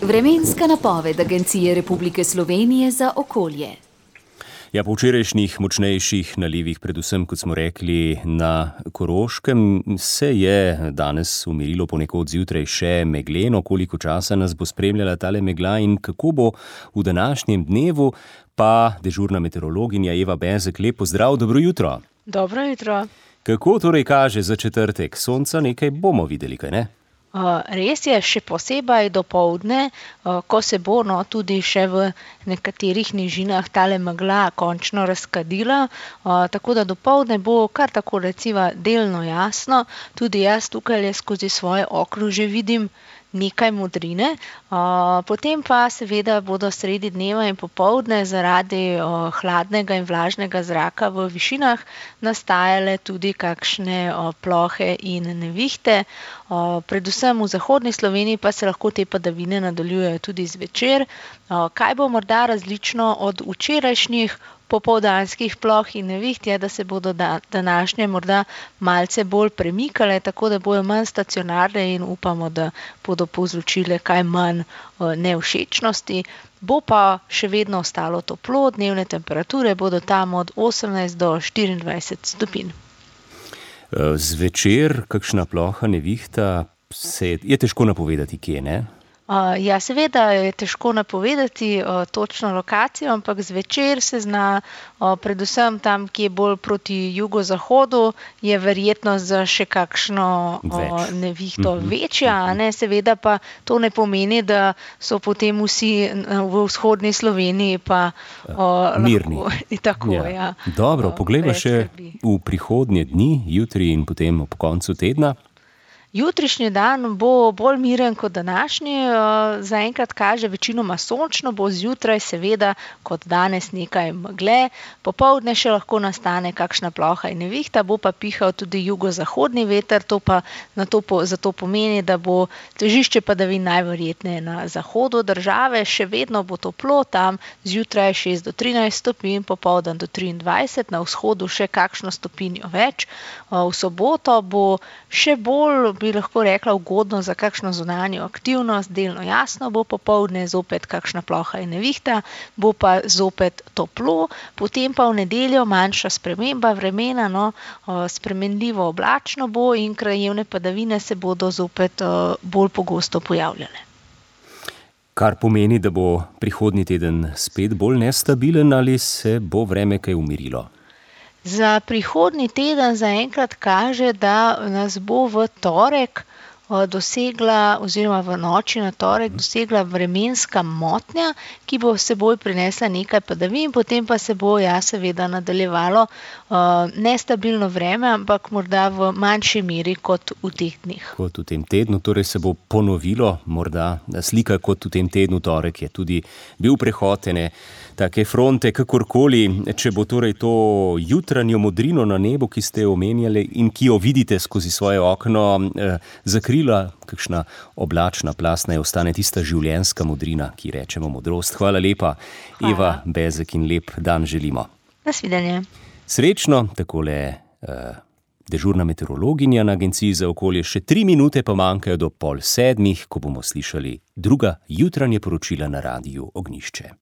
Vremenska napoved Agencije Republike Slovenije za okolje. Ja, po včerajšnjih močnejših nalivih, predvsem, kot smo rekli, na Koroškem, se je danes umirilo ponekod zjutraj še megleno. Koliko časa nas bo spremljala tale megla in kako bo v današnjem dnevu, pa dežurna meteorologinja Eva Bezek. Lep pozdrav, dobro jutro. Dobro jutro. Kako torej kaže za četrtek? Sonca nekaj bomo videli, kaj ne? Res je, še posebej dopoldne, ko se bo tudi še v nekaterih nižinah tale megla končno razkadila, tako da dopoldne bo kar tako reciva delno jasno. Tudi jaz tukaj skozi svoje okno že vidim nekaj modrine, potem pa seveda bodo sredi dneva in popoldne zaradi hladnega in vlažnega zraka v višinah nastajale tudi kakšne plohe in nevihte. Predvsem v zahodni Sloveniji pa se lahko te padavine nadaljujejo tudi zvečer. Kaj bo morda različno od včerajšnjih popoldanskih ploh in neviht je, da se bodo današnje morda malce bolj premikale, tako da bojo manj stacionarne in upamo, da bodo povzročile kaj manj nevšečnosti. Bo pa še vedno ostalo toplo, dnevne temperature bodo tam od 18 do 24 stopinj. Zvečer kakšna ploha, nevihta, je težko napovedati, kje, ne? Ja, seveda je težko napovedati točno lokacijo, ampak zvečer se zna, predvsem tam, ki je bolj proti jugozahodu, je verjetnost za še kakšno nevihto večja, ne? Seveda pa to ne pomeni, da so potem vsi v vzhodni Sloveniji pa mirni. Tako, ja. Dobro, poglejmo še v prihodnje dni, jutri in potem ob koncu tedna. Jutrišnji dan bo bolj miren kot današnji, zaenkrat kaže večinoma sončno, bo zjutraj seveda kot danes nekaj megle, popoldne še lahko nastane kakšna ploha in nevihta, bo pa pihal tudi jugozahodni veter, to pa zato pomeni, da bo težišče padavin najverjetneje na zahodu države, še vedno bo toplo, tam zjutraj 6 do 13 stopinj, popoldan do 23, na vzhodu še kakšno stopinjo več. V soboto bo še bolj, bi lahko rekla, ugodno za kakšno zunanjo aktivnost, delno jasno bo popoldne, zopet kakšna ploha in nevihta, bo pa zopet toplo, potem pa v nedeljo manjša sprememba vremena, spremenljivo oblačno bo in krajevne padavine se bodo zopet bolj pogosto pojavljale. Kar pomeni, da bo prihodnji teden spet bolj nestabilen ali se bo vreme kaj umirilo? Za prihodnji teden zaenkrat kaže, da nas bo v torek dosegla, oziroma v noči na torek dosegla vremenska motnja, ki bo s seboj prinesla nekaj padavin, potem pa se bo seveda nadaljevalo nestabilno vreme, ampak morda v manjši meri kot v teh dneh. Kot v tem tednu, torej se bo ponovilo, morda slika kot v tem tednu torek je tudi bil prehod ene take fronte, kakorkoli, če bo torej to jutranjo modrino na nebu, ki ste jo omenjali in ki jo vidite skozi svoje okno, zakrila kakšna oblačna plast, naj ostane tista življenjska modrina, ki rečemo modrost. Hvala lepa, Hvala. Eva Bezek, in lep dan želimo. Nasvidenje. Srečno, takole dežurna meteorologinja na Agenciji za okolje. Še 3 minute pa manjkajo do 6:30, ko bomo slišali druga jutranje poročila na Radiu Ognjišče.